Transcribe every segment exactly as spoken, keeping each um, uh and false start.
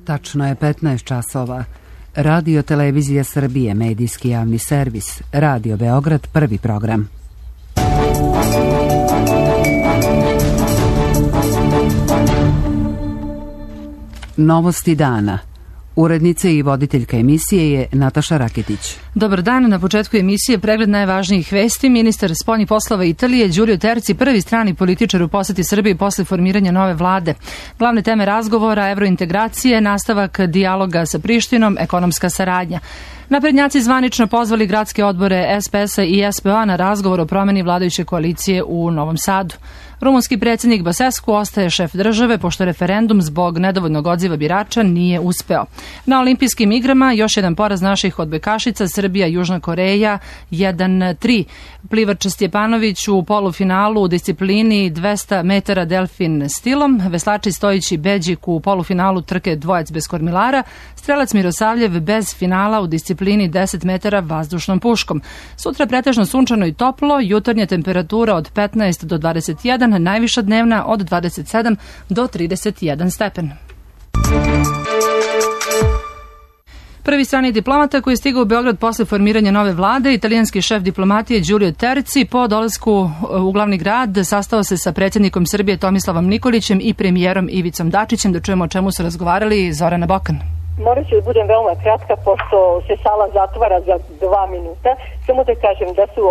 Tačno je petnaest časova. Radio Televizija Srbije, medijski javni servis. Radio Beograd, prvi program. Novosti dana. Urednica i voditeljka emisije je Nataša Raketić. Dobar dan, na početku emisije pregled najvažnijih vesti. Ministar spoljnih poslova Italije Giulio Terzi, prvi strani političar u poseti Srbiji posle formiranja nove vlade. Glavne teme razgovora, evrointegracije, nastavak dijaloga sa Prištinom, ekonomska saradnja. Naprednjaci zvanično pozvali gradske odbore es pe es-a i es pe o-a na razgovor o promeni vladajuće koalicije u Novom Sadu. Rumunski predsjednik Basescu ostaje šef države pošto referendum zbog nedovoljnog odziva birača nije uspeo. Na olimpijskim igrama još jedan poraz naših odbojkašica, Srbija, Južna Koreja jedan tri. Plivač Stjepanović u polufinalu u disciplini dvesta metara delfin stilom, veslači Stojić i Beđik u polufinalu trke dvojac bez kormilara, strelac Mirosavljev bez finala u disciplini deset metara vazdušnom puškom. Sutra pretežno sunčano i toplo, jutarnja temperatura od petnaest do dvadeset jedan, najviša dnevna od dvadeset sedam do trideset jedan stepen. Prvi strani diplomata koji je stigao u Beograd posle formiranja nove vlade, italijanski šef diplomatije Giulio Terzi, po dolasku u glavni grad sastao se sa predsjednikom Srbije Tomislavom Nikolićem i premijerom Ivicom Dačićem. Da čujemo o čemu su razgovarali. Zorana Bokan. Morat ću da budem veoma kratka, pošto se sala zatvara za dva minuta. Samo da kažem da su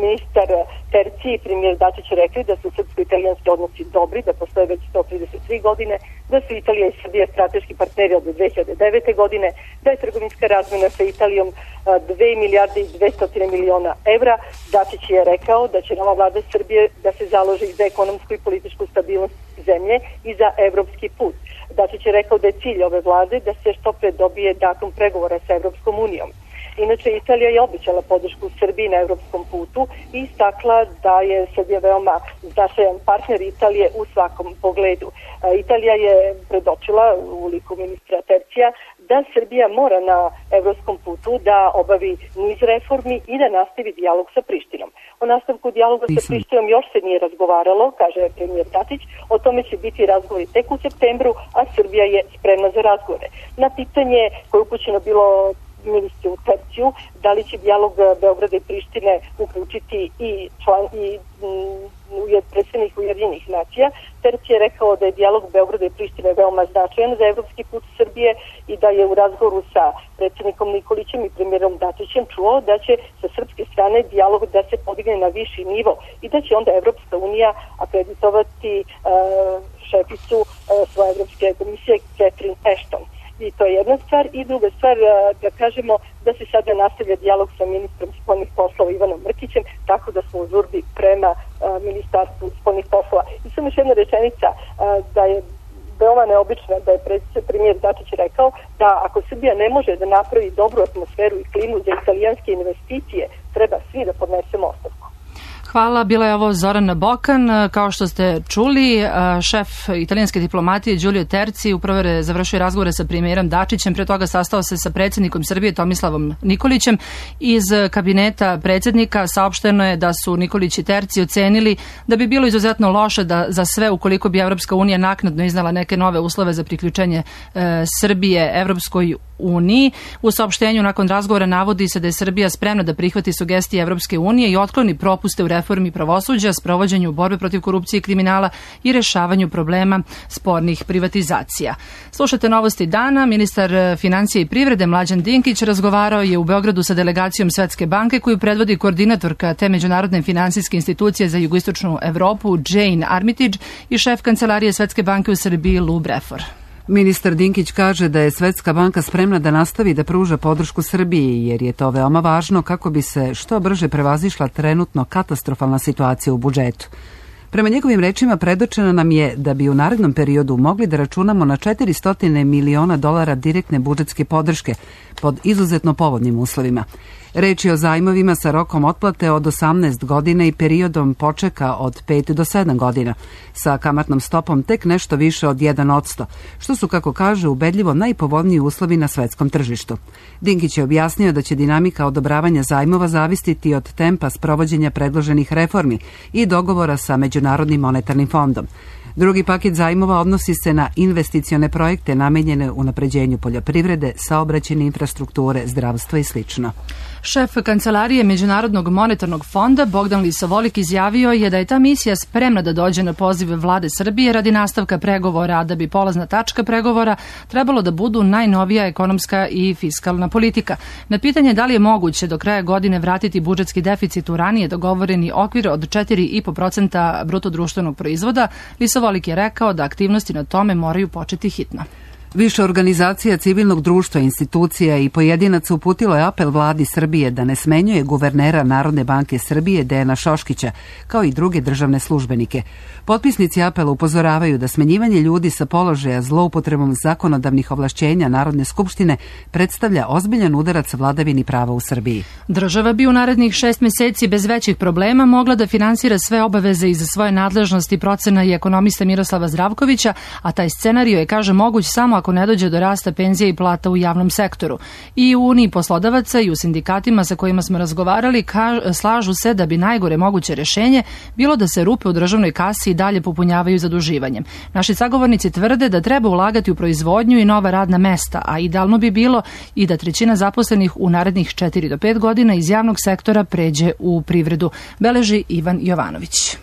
ministar Terzi i premijer Dačić rekli da su srpsko-italijanski odnosi dobri, da postoje već sto trideset tri godine, da su Italija i Srbija strateški partneri od dve hiljade devete. godine, da je trgovinska razmena sa Italijom dve milijarde i dvesta miliona evra. Dačić je rekao da će nova vlada Srbije da se založi za ekonomsku i političku stabilnost zemlje i za evropski put. Dačić je rekao da je cilj ove vlade da se što pre dobije datum pregovora sa Evropskom unijom. Inače, Italija je obećala podršku Srbiji na evropskom putu i istakla da je Srbija veoma značajan partner Italije u svakom pogledu. Italija je predočila u liku ministra Terzija da Srbija mora na evropskom putu da obavi niz reformi i da nastavi dijalog sa Prištinom. O nastavku dijaloga sa Prištinom još se nije razgovaralo, kaže premijer Dačić, o tome će biti razgovori tek u septembru, a Srbija je spremna za razgovore. Na pitanje koje je upućeno bilo ministru Terziju, da li će dijalog Beograda i Prištine uključiti i član i mm, predsednik Ujedinjenih nacija, Terzi je rekao da je dijalog Beograda i Prištine veoma značajan za evropski put Srbije i da je u razgovoru sa predsednikom Nikolićem i premijerom Dačićem čuo da će sa srpske strane dijalog da se podigne na viši nivo i da će onda Evropska unija akreditovati uh, šeficu uh, svoje Evropske komisije Catherine Ashton. I to je jedna stvar. I druga stvar, da kažemo da se sada nastavlja dijalog sa ministrom spoljnih poslova Ivanom Mrkićem, tako da smo u žurbi prema ministarstvu spoljnih poslova. I samo još jedna rečenica, da je veoma neobično da je premijer Dačić rekao da ako Srbija ne može da napravi dobru atmosferu i klimu za italijanske investicije, treba svi da podnesemo ostavku. Hvala, bila je ovo Zorana Bokan. Kao što ste čuli, šef italijanske diplomatije Giulio Terzi upravo je završio razgovore sa premijerom Dačićem, pre toga sastao se sa predsjednikom Srbije Tomislavom Nikolićem. Iz kabineta predsjednika saopšteno je da su Nikolić i Terzi ocenili da bi bilo izuzetno loše da za sve ukoliko bi Evropska unija naknadno iznala neke nove uslove za priključenje e, Srbije Evropskoj uniji. U saopštenju nakon razgovora navodi se da je Srbija spremna da prihvati sugestije Evropske unije i otkloni propuste u reformi pravosuđa, sprovođenju borbe protiv korupcije i kriminala i rešavanju problema spornih privatizacija. Slušate novosti dana. Ministar financije i privrede Mlađan Dinkić razgovarao je u Beogradu sa delegacijom Svetske banke koju predvodi koordinatorka te međunarodne finansijske institucije za jugoistočnu Evropu Jane Armitage i šef kancelarije Svetske banke u Srbiji Lou Brefor. Ministar Dinkić kaže da je Svetska banka spremna da nastavi da pruža podršku Srbiji, jer je to veoma važno kako bi se što brže prevazišla trenutno katastrofalna situacija u budžetu. Prema njegovim rečima predočeno nam je da bi u narednom periodu mogli da računamo na četiristo miliona dolara direktne budžetske podrške pod izuzetno povoljnim uslovima. Reč je o zajmovima sa rokom otplate od osamnaest godina i periodom počeka od pet do sedam godina, sa kamatnom stopom tek nešto više od jedan odsto, što su, kako kaže, ubedljivo najpovoljniji uslovi na svetskom tržištu. Dinkić je objasnio da će dinamika odobravanja zajmova zavisiti od tempa sprovođenja predloženih reformi i dogovora sa Međunarodnim monetarnim fondom. Drugi paket zajmova odnosi se na investicione projekte namenjene unapređenju poljoprivrede, saobraćajne infrastrukture, zdravstva i slično. Šef Kancelarije Međunarodnog monetarnog fonda Bogdan Lisovolik izjavio je da je ta misija spremna da dođe na poziv vlade Srbije radi nastavka pregovora, a da bi polazna tačka pregovora trebalo da budu najnovija ekonomska i fiskalna politika. Na pitanje da li je moguće do kraja godine vratiti budžetski deficit u ranije dogovoreni okvir od četiri i po procenta bruto društvenog proizvoda, Lisovolik je rekao da aktivnosti na tome moraju početi hitno. Više organizacija civilnog društva, institucija i pojedinaca uputilo je apel vladi Srbije da ne smenjuje guvernera Narodne banke Srbije Dejana Šoškića, kao i druge državne službenike. Potpisnici apela upozoravaju da smenjivanje ljudi sa položaja zloupotrebom zakonodavnih ovlašćenja Narodne skupštine predstavlja ozbiljan udarac vladavini prava u Srbiji. Država bi u narednih šest meseci bez većih problema mogla da finansira sve obaveze iz svoje nadležnosti, procena i ekonomista Miroslava Zdravkovića, a taj scenario je, kaže, moguć samo ako ne dođe do rasta penzija i plata u javnom sektoru. I u Uniji poslodavaca i u sindikatima sa kojima smo razgovarali slažu se da bi najgore moguće rešenje bilo da se rupe u državnoj kasi i dalje popunjavaju zaduživanjem. Naši sagovornici tvrde da treba ulagati u proizvodnju i nova radna mesta, a idealno bi bilo i da trećina zaposlenih u narednih četiri do pet godina iz javnog sektora pređe u privredu, beleži Ivan Jovanović.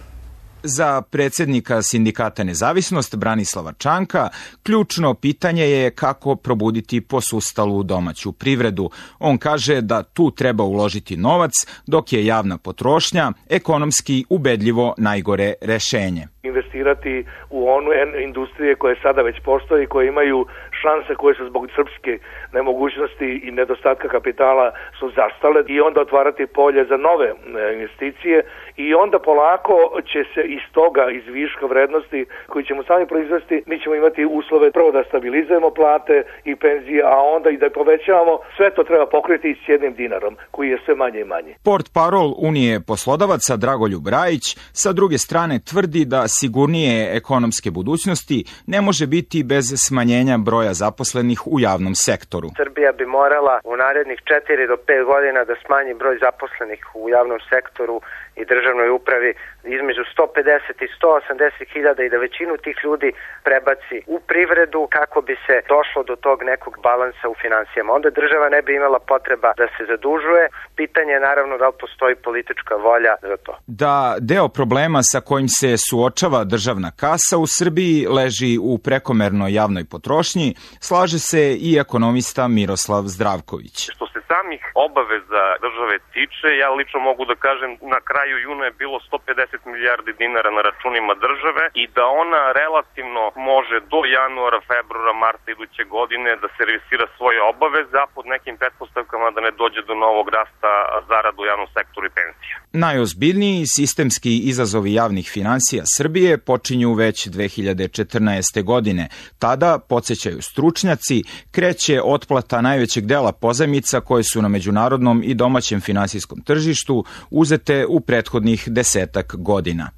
Za predsjednika Sindikata Nezavisnost Branislava Čanka ključno pitanje je kako probuditi posustalu domaću privredu. On kaže da tu treba uložiti novac, dok je javna potrošnja ekonomski ubedljivo najgore rešenje. Investirati u onu industrije koje sada već postoji, koje imaju šanse koje su zbog srpske nemogućnosti i nedostatka kapitala su zastale, i onda otvarati polje za nove investicije, i onda polako će se iz toga, iz viška vrednosti koji ćemo sami proizvesti, mi ćemo imati uslove prvo da stabilizujemo plate i penzije, a onda i da povećavamo. Sve to treba pokriti s jednim dinarom koji je sve manje i manje. Portparol Unije poslodavaca Dragoljub Rajić sa druge strane tvrdi da sigurnije ekonomske budućnosti ne može biti bez smanjenja broja zaposlenih u javnom sektoru. Srbija bi morala u narednih četiri do pet godina da smanji broj zaposlenih u javnom sektoru i državnoj upravi između sto pedeset i sto osamdeset hiljada i da većinu tih ljudi prebaci u privredu kako bi se došlo do tog nekog balansa u finansijama. Onda država ne bi imala potreba da se zadužuje. Pitanje je naravno da li postoji politička volja za to. Da deo problema sa kojim se suočava državna kasa u Srbiji leži u prekomernoj javnoj potrošnji, slaže se i ekonomista Miroslav Zdravković. Što se samih obaveza države tiče, ja lično mogu da kažem na kraju juna je bilo sto pedeset milijardi dinara na računima države i da ona relativno može do januara, februara, marta iduće godine da servisira svoje obaveze, a pod nekim pretpostavkama da ne dođe do novog rasta zarada u javnom sektoru i penzija. Najozbiljniji sistemski izazovi javnih finansija Srbije počinju već dve hiljade četrnaeste. godine. Tada, podsjećaju stručnjaci, kreće otplata najvećeg dela pozajmica koje su na međunarodnom i domaćem finansijskom tržištu uzete u prethodnih desetak godina.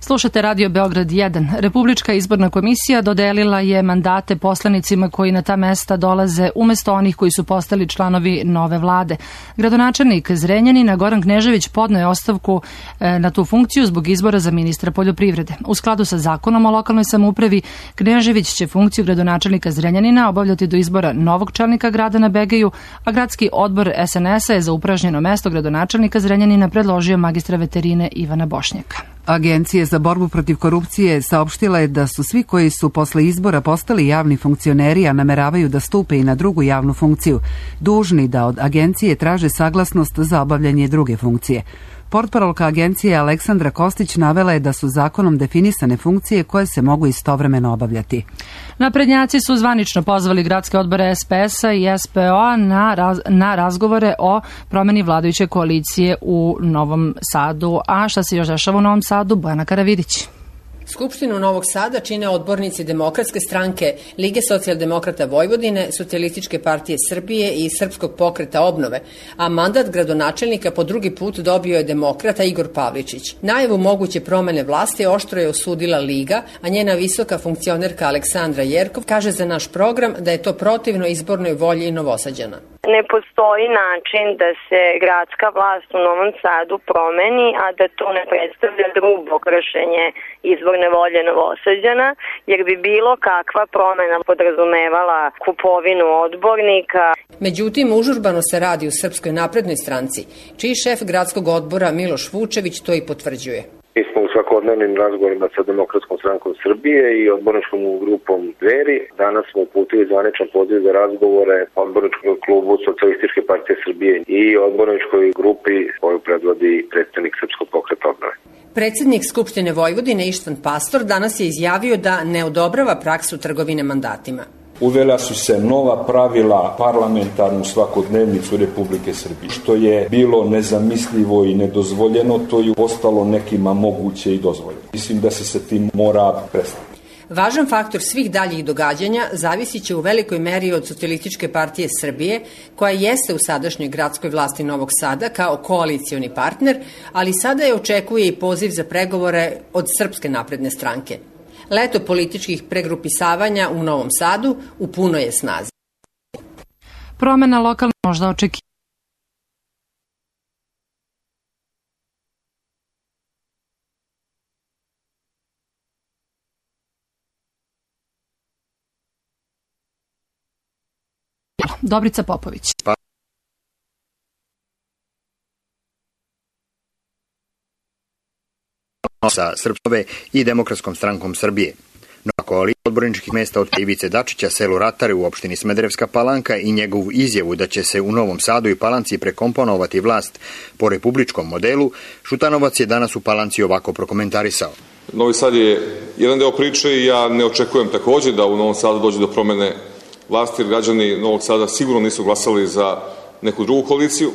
Slušate Radio Beograd jedan. Republička izborna komisija dodelila je mandate poslanicima koji na ta mesta dolaze umesto onih koji su postali članovi nove vlade. Gradonačelnik Zrenjanina Goran Knežević podneo je ostavku na tu funkciju zbog izbora za ministra poljoprivrede. U skladu sa zakonom o lokalnoj samoupravi, Knežević će funkciju gradonačelnika Zrenjanina obavljati do izbora novog čelnika grada na Begeju, a gradski odbor es en es a je za upražnjeno mesto gradonačelnika Zrenjanina predložio magistra veterine Ivana Bošnjaka. Agencija za borbu protiv korupcije saopštila je da su svi koji su posle izbora postali javni funkcioneri, a nameravaju da stupe i na drugu javnu funkciju, dužni da od agencije traže saglasnost za obavljanje druge funkcije. Portparolka agencije Aleksandra Kostić navela je da su zakonom definisane funkcije koje se mogu istovremeno obavljati. Naprednjaci su zvanično pozvali gradske odbore es pe es a i es pe o a na, raz, na razgovore o promeni vladajuće koalicije u Novom Sadu. A šta se još dešava u Novom Sadu? Bojana Karavidić. Skupštinu Novog Sada čine odbornici Demokratske stranke, Lige socijaldemokrata Vojvodine, Socijalističke partije Srbije i Srpskog pokreta obnove, a mandat gradonačelnika po drugi put dobio je demokrata Igor Pavličić. Najavu moguće promene vlasti oštro je osudila Liga, a njena visoka funkcionerka Aleksandra Jerkov kaže za naš program da je to protivno izbornoj volji Novosađana. Ne postoji način da se gradska vlast u Novom Sadu promeni, a da to ne predstavlja grubo kršenje izborne izborne volje Novosađana, jer bi bilo kakva promena podrazumevala kupovinu odbornika. Međutim, užurbano se radi u Srpskoj naprednoj stranci, čiji šef gradskog odbora Miloš Vučević to i potvrđuje. Mi smo u svakodnevnim razgovorima sa Demokratskom strankom Srbije i odborničkom grupom Dveri. Danas smo uputili zvaničan poziv za razgovore odborničkom klubu Socijalističke partije Srbije i odborničkoj grupi koju predvodi predstavnik Srpskog pokreta obnove. Predsednik Skupštine Vojvodine Ištvan Pastor danas je izjavio da ne odobrava praksu trgovine mandatima. Uvela su se nova pravila parlamentarnu svakodnevnicu Republike Srbije. Što je bilo nezamislivo i nedozvoljeno, to je postalo nekima moguće i dozvoljeno. Mislim da se sa tim mora prestati. Važan faktor svih daljih događanja zavisit će u velikoj meri od Socijalističke partije Srbije, koja jeste u sadašnjoj gradskoj vlasti Novog Sada kao koalicioni partner, ali sada je očekuje i poziv za pregovore od Srpske napredne stranke. Leto političkih pregrupisavanja u Novom Sadu u punoj je snazi. Promena lokalna možda očekivati. Dobrica Popović. Pa. Sa Srpskove i Demokratskom strankom Srbije. Nova koalicija odborničkih mesta od Ivice Dačića selu Ratare u opštini Smederevska Palanka i njegovu izjavu da će se u Novom Sadu i Palanci prekomponovati vlast po republičkom modelu, Šutanovac je danas u Palanci ovako prokomentarisao. Novi Sad je jedan deo priče i ja ne očekujem takođe da u Novom Sadu dođe do promene vlasti, jer građani Novog Sada sigurno nisu glasali za neku drugu koaliciju,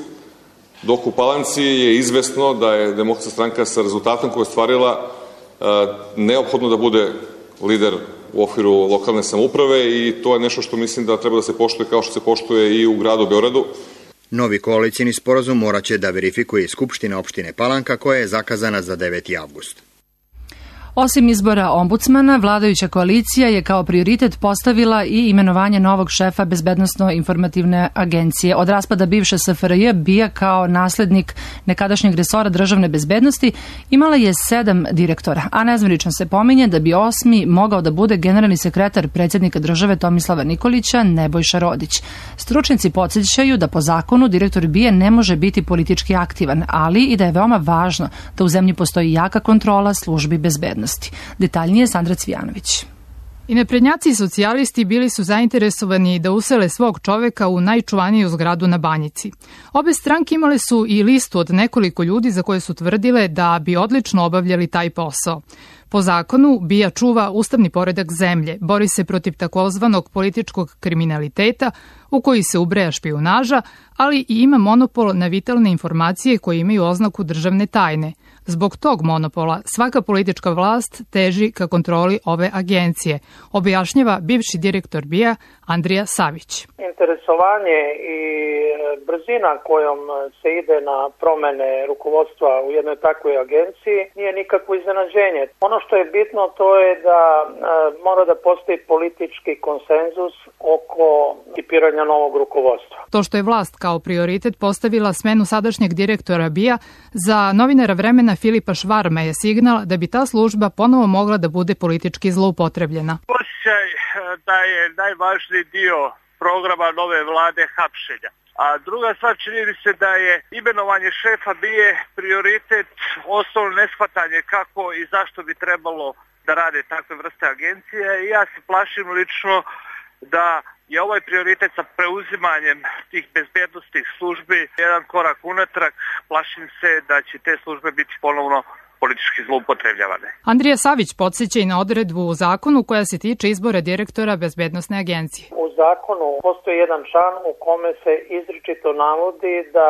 dok u Palanci je izvesno da je Demokratska stranka sa rezultatom koje je stvarila neophodno da bude lider u okviru lokalne samouprave i to je nešto što mislim da treba da se poštuje kao što se poštuje i u gradu Beogradu. Novi koalicijni sporazum moraće da verifikuje Skupština opštine Palanka koja je zakazana za deveti avgust. Osim izbora ombudsmana, vladajuća koalicija je kao prioritet postavila i imenovanje novog šefa Bezbednosno-informativne agencije. Od raspada bivše S F R J, BIA kao naslednik nekadašnjeg resora državne bezbednosti imala je sedam direktora, a nezvanično se pominje da bi osmi mogao da bude generalni sekretar predsjednika države Tomislava Nikolića, Nebojša Rodić. Stručnici podsjećaju da po zakonu direktor BIA ne može biti politički aktivan, ali i da je veoma važno da u zemlji postoji jaka kontrola službi bezbednosti. Detaljnije Sandra Cvijanović. I naprednjaci i socijalisti bili su zainteresovani da usele svog čoveka u najčuvaniju zgradu na Banjici. Obe stranke imale su i listu od nekoliko ljudi za koje su tvrdile da bi odlično obavljali taj posao. Po zakonu, BIA čuva ustavni poredak zemlje, bori se protiv takozvanog političkog kriminaliteta u koji se ubraja špijunaža, ali i ima monopol na vitalne informacije koje imaju oznaku državne tajne. Zbog tog monopola svaka politička vlast teži ka kontroli ove agencije, objašnjava bivši direktor BIA Andrija Savić. Interesovanje i brzina kojom se ide na promene rukovodstva u jednoj takvoj agenciji nije nikakvo iznenađenje. Ono što je bitno to je da mora da postoji politički konsenzus oko ekipiranja novog rukovodstva. To što je vlast kao prioritet postavila smenu sadašnjeg direktora BIA, za novinara Vremena Filipa Švarma je signal da bi ta služba ponovo mogla da bude politički zloupotrebljena. Osjećaj da je najvažniji dio programa nove vlade hapšenja. A druga stvar, čini mi se da je imenovanje šefa BIA prioritet, osnovno neshvatanje kako i zašto bi trebalo da rade takve vrste agencije. I ja se plašim lično da je ovaj prioritet sa preuzimanjem tih bezbednostnih službi jedan korak unatrag. Plašim se da će te službe biti ponovno politički zloupotrebljavane. Andrija Savić podsjeća i na odredbu u zakonu koja se tiče izbora direktora Bezbednosne agencije. U zakonu postoji jedan član u kome se izričito navodi da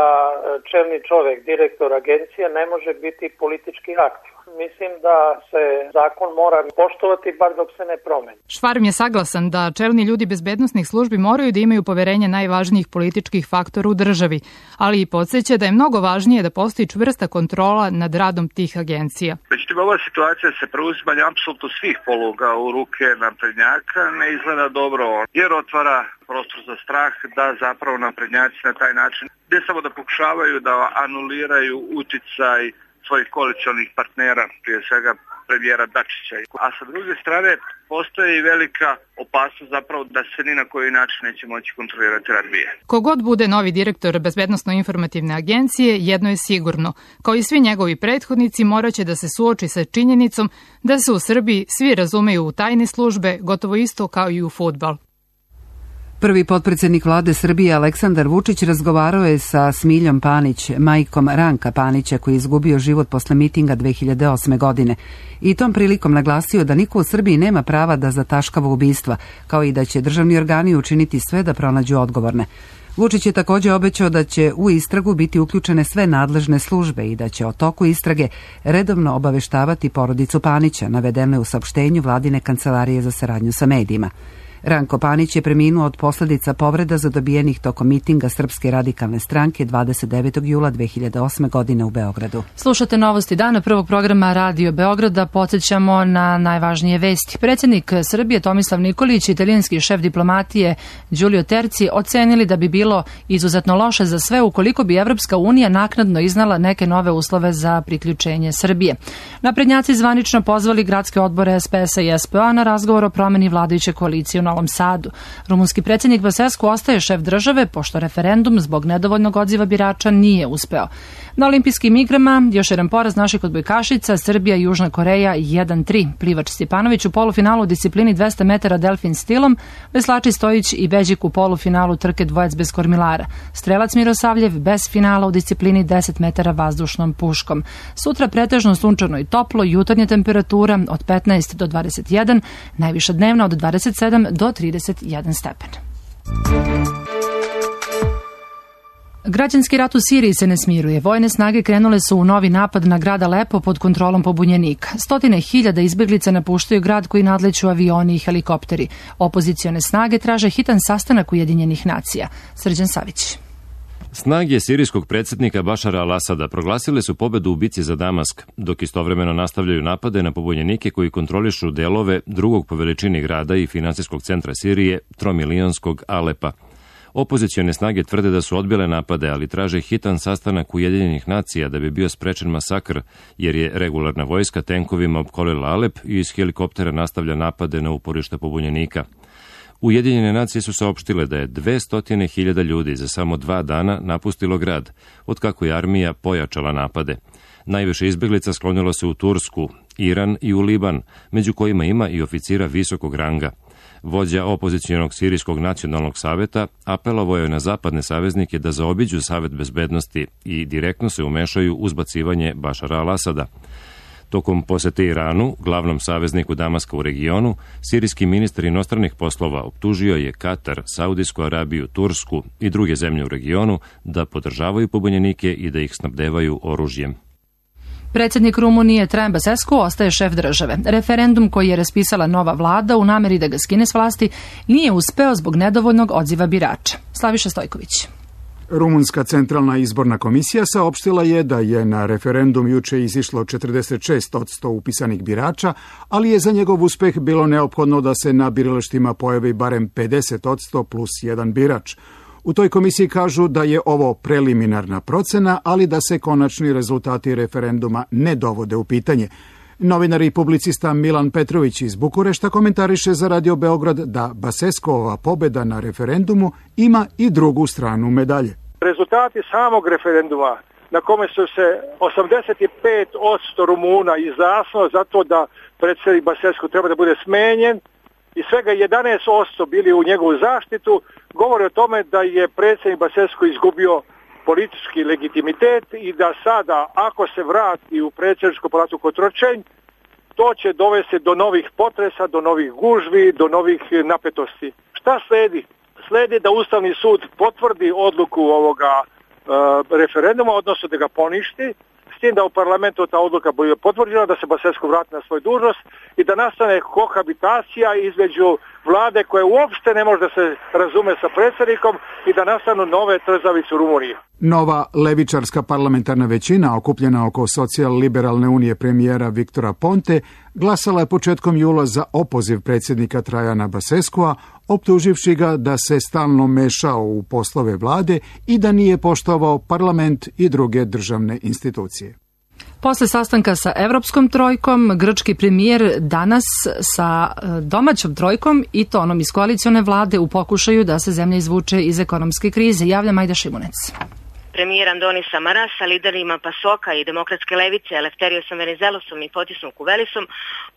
čelni čovek, direktor agencije, ne može biti politički aktiv. Mislim da se zakon mora poštovati bar dok se ne promeni. Švarm je saglasan da čelni ljudi bezbednosnih službi moraju da imaju poverenje najvažnijih političkih faktora u državi, ali i podsjeća da je mnogo važnije da postoji čvrsta kontrola nad radom tih agencija. Međutim, ova situacija se preuzimanja apsolutno svih poluga u ruke naprednjaka ne izgleda dobro, jer otvara prostor za strah da zapravo naprednjaci na taj način ne samo da pokušavaju da anuliraju uticaj svojih koalicionih partnera, prije svega premijera Dačića. A sa druge strane postoji i velika opasnost zapravo da se ni na koji način neće moći kontrolirati rad B I A. Kogod bude novi direktor Bezbednosno-informativne agencije, jedno je sigurno. Kao i svi njegovi prethodnici, moraće da se suoči sa činjenicom da se u Srbiji svi razumeju u tajne službe, gotovo isto kao i u fudbal. Prvi potpredsjednik vlade Srbije Aleksandar Vučić razgovarao je sa Smiljom Panić, majkom Ranka Panića koji je izgubio život posle mitinga dve hiljade osme. godine. I tom prilikom naglasio da niko u Srbiji nema prava da zataškava ubistva, kao i da će državni organi učiniti sve da pronađu odgovorne. Vučić je također obećao da će u istragu biti uključene sve nadležne službe i da će o toku istrage redovno obaveštavati porodicu Panića, navedeno je u saopštenju vladine kancelarije za saradnju sa medijima. Ranko Panić je preminuo od posljedica povreda zadobijenih tokom mitinga Srpske radikalne stranke dvadeset devetog jula dve hiljade osme. godine u Beogradu. Slušate novosti dana prvog programa Radio Beograda. Podsjećamo na najvažnije vesti. Predsjednik Srbije Tomislav Nikolić i italijanski šef diplomatije Giulio Terzi ocenili da bi bilo izuzetno loše za sve ukoliko bi Evropska unija naknadno iznala neke nove uslove za priključenje Srbije. Naprednjaci zvanično pozvali gradske odbore S P S-a i S P O-a na razgovor o promeni vladajuće koalicije u Novom Sadu. Rumunski predsjednik Basescu ostaje šef države, pošto referendum zbog nedovoljnog odziva birača nije uspeo. Na olimpijskim igrama još jedan poraz naših odbojkašica, Srbija i Južna Koreja jedan tri. Plivač Stjepanović u polufinalu u disciplini dvesta metara delfin stilom, veslači Stojić i Beđik u polufinalu trke dvojec bez kormilara. Strelac Mirosavljev bez finala u disciplini deset metara vazdušnom puškom. Sutra pretežno sunčano i toplo, jutarnja temperatura od petnaest do dvadeset jedan, najviša dnevna od dvadeset sedam do trideset jedan stepen. Građanski rat u Siriji se ne smiruje. Vojne snage krenule su u novi napad na grad Alepo pod kontrolom pobunjenika. Stotine hiljada izbjeglica napuštaju grad koji nadleću avioni i helikopteri. Opozicione snage traže hitan sastanak Ujedinjenih nacija. Srđan Savić. Snage sirijskog predsjednika Bašara al-Asada proglasile su pobedu u bici za Damask, dok istovremeno nastavljaju napade na pobunjenike koji kontrolišu delove drugog po veličini grada i finansijskog centra Sirije, tromilijonskog Alepa. Opozicione snage tvrde da su odbile napade, ali traže hitan sastanak Ujedinjenih nacija da bi bio sprečen masakr, jer je regularna vojska tenkovima opkolila Alep i iz helikoptera nastavlja napade na uporište pobunjenika. Ujedinjene nacije su saopštile da je dvesta hiljada ljudi za samo dva dana napustilo grad, otkako je armija pojačala napade. Najviše izbjeglica sklonilo se u Tursku, Iran i u Liban, među kojima ima i oficira visokog ranga. Vođa opozicijonog sirijskog nacionalnog saveta apelovao je na zapadne saveznike da zaobiđu Savet bezbednosti i direktno se umešaju u zbacivanje Bašara al-Asada. Tokom posete Iranu, glavnom savezniku Damaska u regionu, sirijski ministar inostranih poslova optužio je Katar, Saudijsku Arabiju, Tursku i druge zemlje u regionu da podržavaju pobunjenike i da ih snabdevaju oružjem. Predsjednik Rumunije Traian Basescu ostaje šef države. Referendum koji je raspisala nova vlada u nameri da ga skine s vlasti nije uspeo zbog nedovoljnog odziva birača. Slaviša Stojković. Rumunska centralna izborna komisija saopštila je da je na referendum juče izišlo četrdeset šest posto upisanih birača, ali je za njegov uspeh bilo neophodno da se na biralištima pojavi barem pedeset posto plus jedan birač. U toj komisiji kažu da je ovo preliminarna procena, ali da se konačni rezultati referenduma ne dovode u pitanje. Novinar i publicista Milan Petrović iz Bukurešta komentariše za Radio Beograd da Basescova pobeda na referendumu ima i drugu stranu medalje. Rezultati samog referenduma na kome su se osamdeset pet posto Rumuna izjasnilo zato da predsjednik Basescu treba da bude smenjen i svega jedanaest posto bili u njegovu zaštitu, govori o tome da je predsjednik Basescu izgubio politički legitimitet i da sada, ako se vrati u predsjedničku palatu Kotrčanj, to će dovesti do novih potresa, do novih gužvi, do novih napetosti. Šta sledi? Sledi da Ustavni sud potvrdi odluku ovoga e, referenduma, odnosno da ga poništi, s tim da u parlamentu ta odluka bude potvrđena, da se Basescu vrati na svoj dužnost i da nastane kohabitacija između vlade koja uopšte ne može da se razume sa predsjednikom i da nastanu nove trzavice u Rumuniji. Nova levičarska parlamentarna većina, okupljena oko socijal-liberalne unije premijera Viktora Ponte, glasala je početkom jula za opoziv predsjednika Traiana Basescua, optuživši ga da se stalno mešao u poslove vlade i da nije poštovao parlament i druge državne institucije. Posle sastanka sa Evropskom trojkom, grčki premijer danas sa domaćom trojkom i to onom iz koalicione vlade u pokušaju da se zemlja izvuče iz ekonomske krize. Javlja Majda Šimunec. Premijer Andoni Samaras sa liderima Pasoka i demokratske levice Elefterijosom Venizelosom i Fotisom Kuvelisom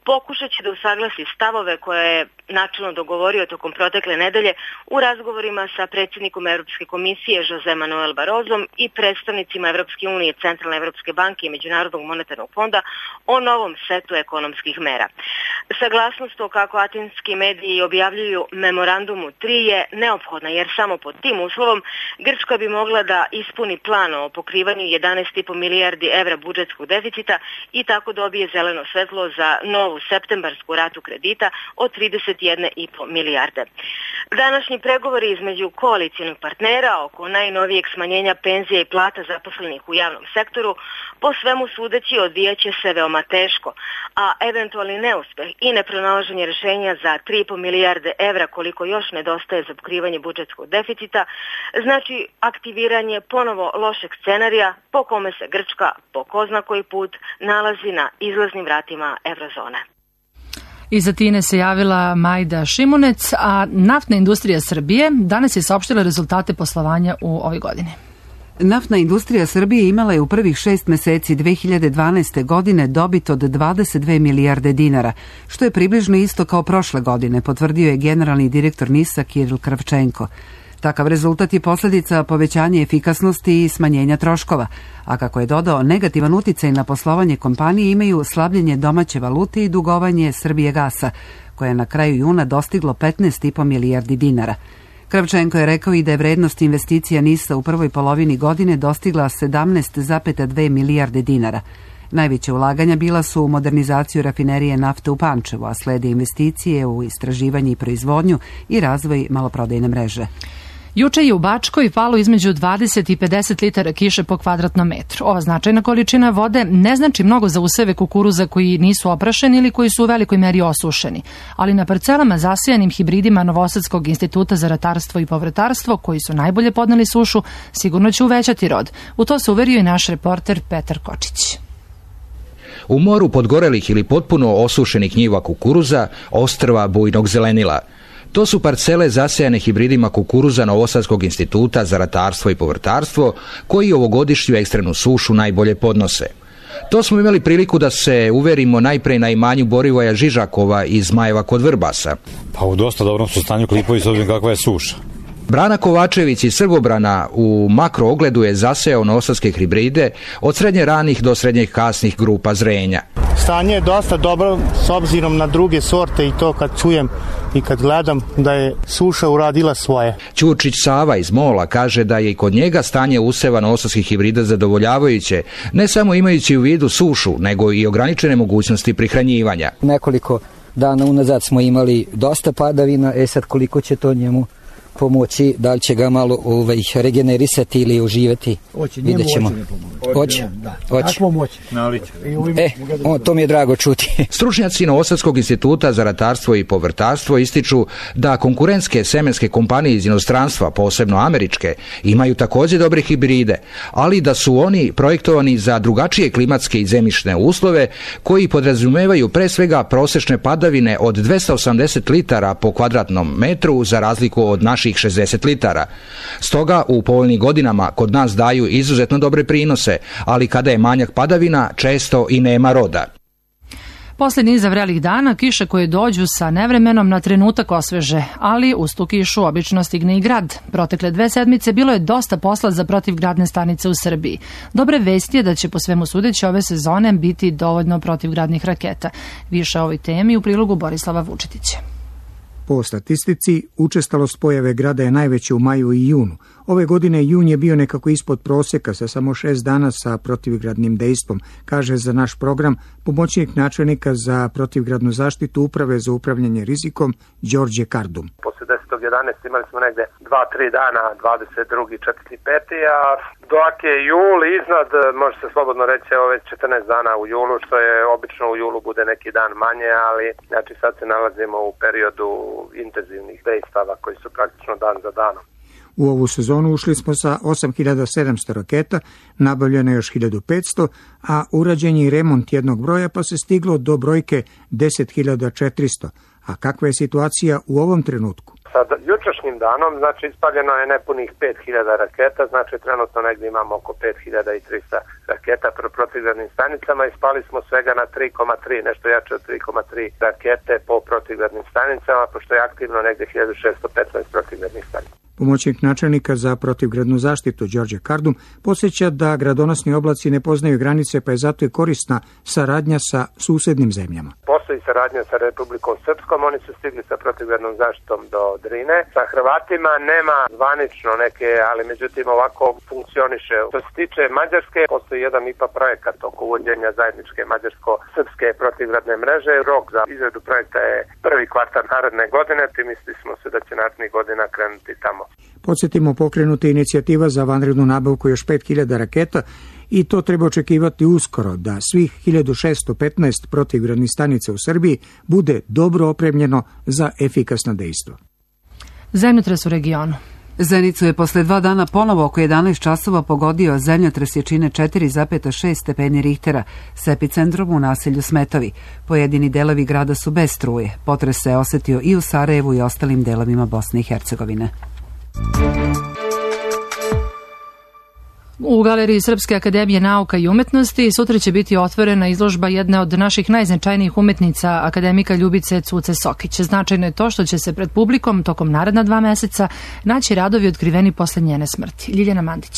pokušat će da usaglasi stavove koje je načelno dogovorio tokom protekle nedelje u razgovorima sa predsjednikom Evropske komisije Jose Manuel Barozom i predstavnicima Evropske unije, Centralne Evropske banke i Međunarodnog monetarnog fonda o novom setu ekonomskih mera. Saglasnost o, kako atinski mediji objavljuju, memorandumu tri je neophodna jer samo pod tim uslovom Grčka bi mogla da ispuni plan o pokrivanju jedanaest i po milijardi evra budžetskog deficita i tako dobije zeleno svetlo za novu septembarsku ratu kredita od trideset jedna i po milijarde. Današnji pregovori između koalicijnih partnera oko najnovijeg smanjenja penzija i plata zaposlenih u javnom sektoru po svemu sudeći odvijaće se veoma teško, a eventualni neuspeh i nepronalaženje rješenja za tri i po milijarde evra koliko još nedostaje za pokrivanje budžetskog deficita znači aktiviranje ponovo lošeg scenarija po kome se Grčka po ko zna koji put nalazi na izlaznim vratima eurozone. Iz Atine se javila Majda Šimunec, a naftna industrija Srbije danas je saopštila rezultate poslovanja u ovoj godini. Naftna industrija Srbije imala je u prvih šest meseci dve hiljade dvanaeste. godine dobit od dvadeset dve milijarde dinara, što je približno isto kao prošle godine, potvrdio je generalni direktor NIS-a Kiril Kravčenko. Takav rezultat je posljedica povećanja efikasnosti i smanjenja troškova, a kako je dodao, negativan uticaj na poslovanje kompanije imaju slabljenje domaće valute i dugovanje Srbijegasa, koje je na kraju juna dostiglo petnaest i po milijardi dinara. Kravčenko je rekao i da je vrednost investicija NIS-a u prvoj polovini godine dostigla sedamnaest zarez dve milijarde dinara. Najveće ulaganja bila su u modernizaciju rafinerije nafte u Pančevu, a slede investicije u istraživanje i proizvodnju i razvoj maloprodajne mreže. Juče je u Bačkoj palo između dvadeset i pedeset litara kiše po kvadratnom metru. Ova značajna količina vode ne znači mnogo za useve kukuruza koji nisu oprašeni ili koji su u velikoj meri osušeni, ali na parcelama zasijanim hibridima Novosadskog instituta za ratarstvo i povrtarstvo, koji su najbolje podneli sušu, sigurno će uvećati rod. U to se uverio i naš reporter Petar Kočić. U moru podgorelih ili potpuno osušenih njiva kukuruza, ostrva bujnog zelenila. To su parcele zasejane hibridima kukuruza Novosadskog instituta za ratarstvo i povrtarstvo, koji ovogodišnju ekstremnu sušu najbolje podnose. To smo imali priliku da se uverimo najpre na imanju Borivoja Žižakova iz Zmajeva kod Vrbasa. Pa u dosta dobrom su stanju klipovi s obzirom kakva je suša. Brana Kovačević iz Srbobrana u makro ogledu je zasejao novosadske hibride od srednje ranih do srednjih kasnih grupa zrenja. Stanje je dosta dobro s obzirom na druge sorte i to kad čujem i kad gledam da je suša uradila svoje. Ćurčić Sava iz Mola kaže da je i kod njega stanje useva novosadskih hibrida zadovoljavajuće, ne samo imajući u vidu sušu, nego i ograničene mogućnosti prihranjivanja. Nekoliko dana unazad smo imali dosta padavina, e sad koliko će to njemu pomoći, da li će ga malo ovaj, regenerisati ili oživeti, vidjet ćemo. Hoće, hoće. E, o, to mi je drago čuti. Stručnjaci Novosadskog instituta za ratarstvo i povrtarstvo ističu da konkurentske semenske kompanije iz inostranstva, posebno američke, imaju također dobre hibride, ali da su oni projektovani za drugačije klimatske i zemljišne uslove koji podrazumevaju pre svega prosečne padavine od dvesta osamdeset litara po kvadratnom metru za razliku od naših šezdeset litara. Stoga u povoljnim godinama kod nas daju izuzetno dobre prinose, ali kada je manjak padavina, često i nema roda. Posle niza vrelih dana, kiše koje dođu sa nevremenom na trenutak osveže, ali uz tu kišu obično stigne i grad. Protekle dve sedmice bilo je dosta posla za protivgradne stanice u Srbiji. Dobre vesti je da će po svemu sudeći ove sezone biti dovoljno protivgradnih raketa. Više o ovoj temi u prilogu Borislava Vučetića. Po statistici, učestalost pojave grada je najveća u maju i junu. Ove godine jun je bio nekako ispod prosjeka sa samo šest dana sa protivgradnim dejstvom, kaže za naš program pomoćnik načelnika za protivgradnu zaštitu Uprave za upravljanje rizikom Đorđe Kardum. Posle desetog jedanaestog imali smo negde dva tri dana, dvadeset drugi četvrti peti a dok je jul iznad, može se slobodno reći, evo već četrnaest dana u julu, što je obično u julu bude neki dan manje, ali znači sad se nalazimo u periodu intenzivnih dejstava koji su praktično dan za danom. U ovu sezonu ušli smo sa osam hiljada sedamsto raketa, nabavljeno još hiljadu petsto, a urađen je i remont jednog broja pa se stiglo do brojke deset hiljada četiristo. A kakva je situacija u ovom trenutku? Sa jučerašnjim danom, znači ispaljeno je nepunih pet hiljada raketa, znači trenutno negdje imamo oko pet hiljada tristo raketa pro protivgradnim stanicama, ispali smo svega na tri zarez tri, nešto jače od tri zarez tri rakete po protivgradnim stanicama, pošto je aktivno negdje hiljadu šessto petnaest protivgradnih stanica. Pomoćnik načelnika za protivgradnu zaštitu Đorđe Kardum podsjeća da gradonosni oblaci ne poznaju granice, pa je zato i korisna saradnja sa susednim zemljama. Postoji saradnja sa Republikom Srpskom, oni su stigli sa protivgradnom zaštitom do Drine. Sa Hrvatima nema zvanično neke, ali međutim ovako funkcioniše. Što se tiče Mađarske, postoji jedan I P A projekat oko uvođenja zajedničke mađarsko-srpske protivgradne mreže. Rok za izradu projekta je prvi kvartal naredne godine, ti mislili smo se da će narednih godina krenuti tamo. Podsjetimo, pokrenuta inicijativa za vanrednu nabavku još pet hiljada raketa i to treba očekivati uskoro, da svih hiljadu šessto petnaest protivgradnih stanica u Srbiji bude dobro opremljeno za efikasna dejstva. Zemljotres u regionu. Zenicu je posle dva dana ponovo oko jedanaest časova pogodio zemljotres jačine četiri zarez šest stepeni Richtera s epicentrom u naselju Smetovi. Pojedini delovi grada su bez struje. Potres se osetio i u Sarajevu i ostalim delovima Bosne i Hercegovine. U Galeriji Srpske akademije nauka i umetnosti sutra će biti otvorena izložba jedne od naših najznačajnijih umetnica, akademika Ljubice Cuce Sokić. Značajno je to što će se pred publikom tokom naredna dva meseca naći radovi otkriveni posle njene smrti. Ljiljana Mandić.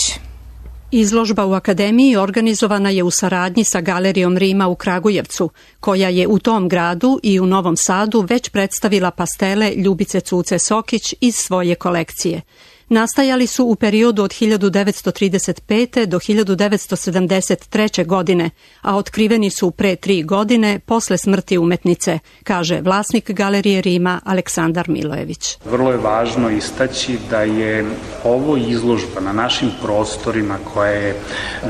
Izložba u Akademiji organizovana je u saradnji sa Galerijom Rima u Kragujevcu, koja je u tom gradu i u Novom Sadu već predstavila pastele Ljubice Cuce Sokić iz svoje kolekcije. Nastajali su u periodu od hiljadu devetsto trideset pete do hiljadu devetsto sedamdeset treće. godine, a otkriveni su pre tri godine posle smrti umetnice, kaže vlasnik Galerije Rima Aleksandar Milojević. Vrlo je važno istaći da je ovo izložba na našim prostorima koja je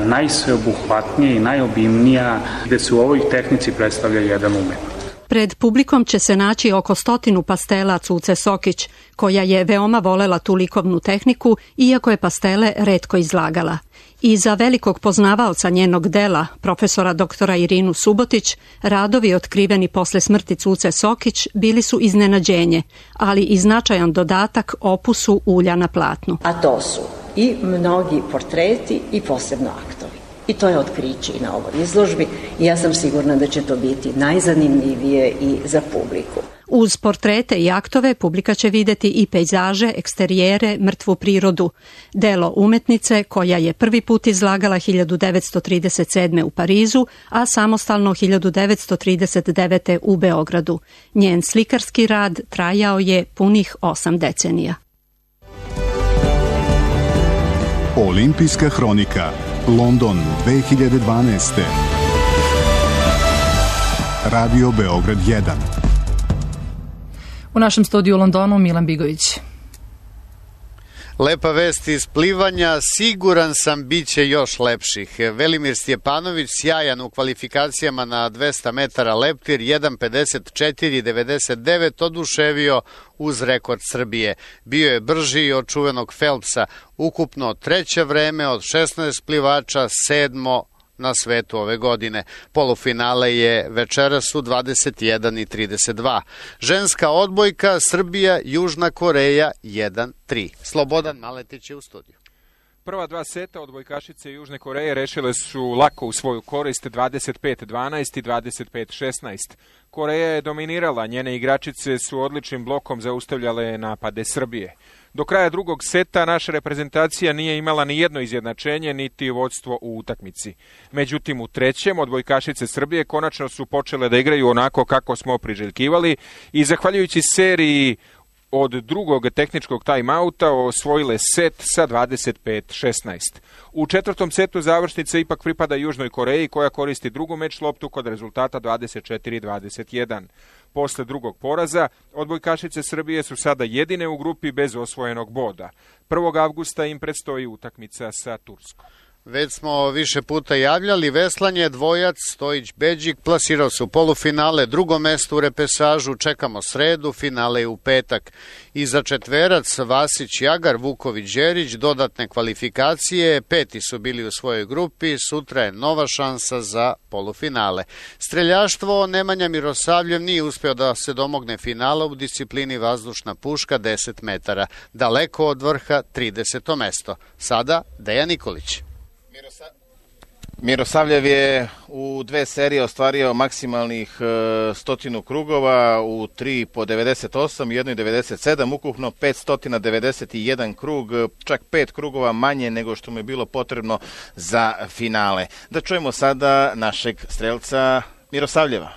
najsveobuhvatnija i najobimnija, gde se u ovoj tehnici predstavlja jedan umetnik. Pred publikom će se naći oko stotinu pastela Cuce Sokić, koja je veoma volela tu likovnu tehniku, iako je pastele retko izlagala. I za velikog poznavaoca njenog dela, profesora doktora Irinu Subotić, radovi otkriveni posle smrti Cuce Sokić bili su iznenađenje, ali i značajan dodatak opusu ulja na platnu. A to su i mnogi portreti i posebno aktovi. I to je otkriće i na ovoj izložbi i ja sam sigurna da će to biti najzanimljivije i za publiku. Uz portrete i aktove publika će videti i pejzaže, eksterijere, mrtvu prirodu. Delo umetnice koja je prvi put izlagala hiljadu devetsto trideset sedme. u Parizu, a samostalno hiljadu devetsto trideset devete. u Beogradu. Njen slikarski rad trajao je punih osam decenija. Olimpijska hronika. London dve hiljade dvanaeste. Radio Beograd jedan. U našem studiju u Londonu Milan Bigović. Lepa vest iz plivanja, siguran sam bit će još lepših. Velimir Stjepanović sjajan u kvalifikacijama na dvesta metara leptir, jedan pedeset četiri devedeset devet, oduševio uz rekord Srbije. Bio je brži od čuvenog Phelpsa, ukupno treće vreme od šesnaest plivača, sedmo na svetu ove godine. Polufinale je večeras u dvadeset jedan i trideset dva. Ženska odbojka Srbija, Južna Koreja jedan tri. Slobodan Maletić je u studiju. Prva dva seta odbojkašice Južne Koreje rešile su lako u svoju korist dvadeset pet dvanaest i dvadeset pet šesnaest. Koreja je dominirala, njene igračice su odličnim blokom zaustavljale napade Srbije. Do kraja drugog seta naša reprezentacija nije imala ni jedno izjednačenje niti vodstvo u utakmici. Međutim, u trećem odbojkašice Srbije konačno su počele da igraju onako kako smo priželjkivali i zahvaljujući seriji od drugog tehničkog time-outa osvojile set sa dvadeset pet šesnaest. U četvrtom setu završnica ipak pripada Južnoj Koreji koja koristi drugu meč loptu kod rezultata dvadeset četiri dvadeset jedan. Posle drugog poraza, odbojkašice Srbije su sada jedine u grupi bez osvojenog boda. prvog avgusta im predstoji utakmica sa Turskom. Već smo više puta javljali, veslanje dvojac Stojić-Beđik plasirao se u polufinale, drugo mesto u repesažu, čekamo sredu, finale je u petak. I za četverac Vasić-Jagar, Vuković-Đerić, dodatne kvalifikacije, peti su bili u svojoj grupi, sutra je nova šansa za polufinale. Streljaštvo Nemanja Mirosavljev nije uspeo da se domogne finala u disciplini vazdušna puška deset metara, daleko od vrha trideseto mesto. Sada Dejan Nikolić. Mirosavljev je u dve serije ostvario maksimalnih stotinu krugova, u tri po devedeset osam, jednoj devedeset sedam, ukupno petsto devedeset jedan krug, čak pet krugova manje nego što mu je bilo potrebno za finale. Da čujemo sada našeg strelca Mirosavljeva.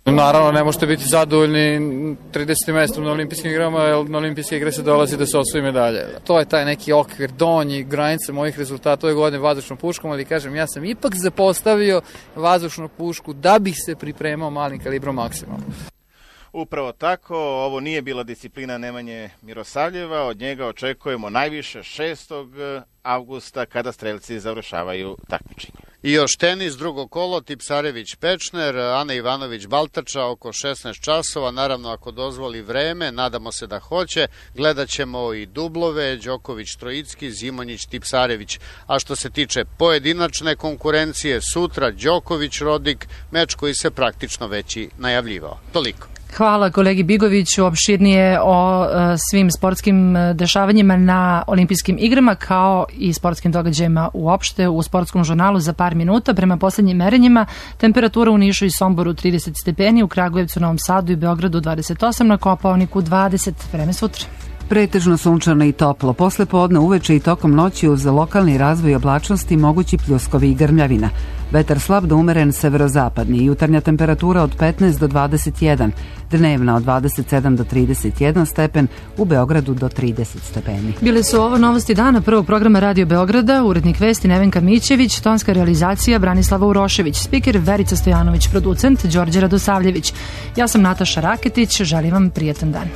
Naravno, ne možete biti zadovoljni tridesetim mestom na olimpijskim igrama, jer na olimpijske igre se dolazi da se osvoji medalje. To je taj neki okvir, donji, granica mojih rezultata ove godine vazdušnom puškom, ali kažem, ja sam ipak zapostavio vazdušnu pušku da bih se pripremao malim kalibrom maksimalno. Upravo tako, ovo nije bila disciplina Nemanje Mirosavljeva, od njega očekujemo najviše šestog avgusta kada strelci završavaju takmičenje. I još tenis, drugo kolo, Tipsarević-Pečner, Ana Ivanović-Baltača oko šesnaest časova, naravno ako dozvoli vreme, nadamo se da hoće, gledat ćemo i dublove, Đoković-Trojicki, Zimonjić-Tipsarević. A što se tiče pojedinačne konkurencije, sutra Đoković-Rodik, meč koji se praktično već i najavljivao. Toliko. Hvala kolegi Bigoviću, opširnije o e, svim sportskim dešavanjima na olimpijskim igrama kao i sportskim događajima uopšte u sportskom žurnalu za par minuta. Prema poslednjim merenjima temperatura u Nišu i Somboru trideset stepeni, u Kragujevcu, Novom Sadu i Beogradu dvadeset osam, na Kopaoniku dvadeset. Vreme sutra. Pretežno sunčano i toplo. Posle podne uveče i tokom noći uz lokalni razvoj oblačnosti mogući pljuskovi i grmljavina. Vetar slab do umeren severozapadni, jutarnja temperatura od petnaest do dvadeset jedan, dnevna od dvadeset sedam do trideset jedan stepen, u Beogradu do trideset stepeni. Bile su ovo novosti dana prvog programa Radio Beograda, urednik vesti Nevenka Mićević, tonska realizacija Branislava Urošević, spiker Verica Stojanović, producent Đorđe Radosavljević. Ja sam Nataša Raketić, želim vam prijetan dan.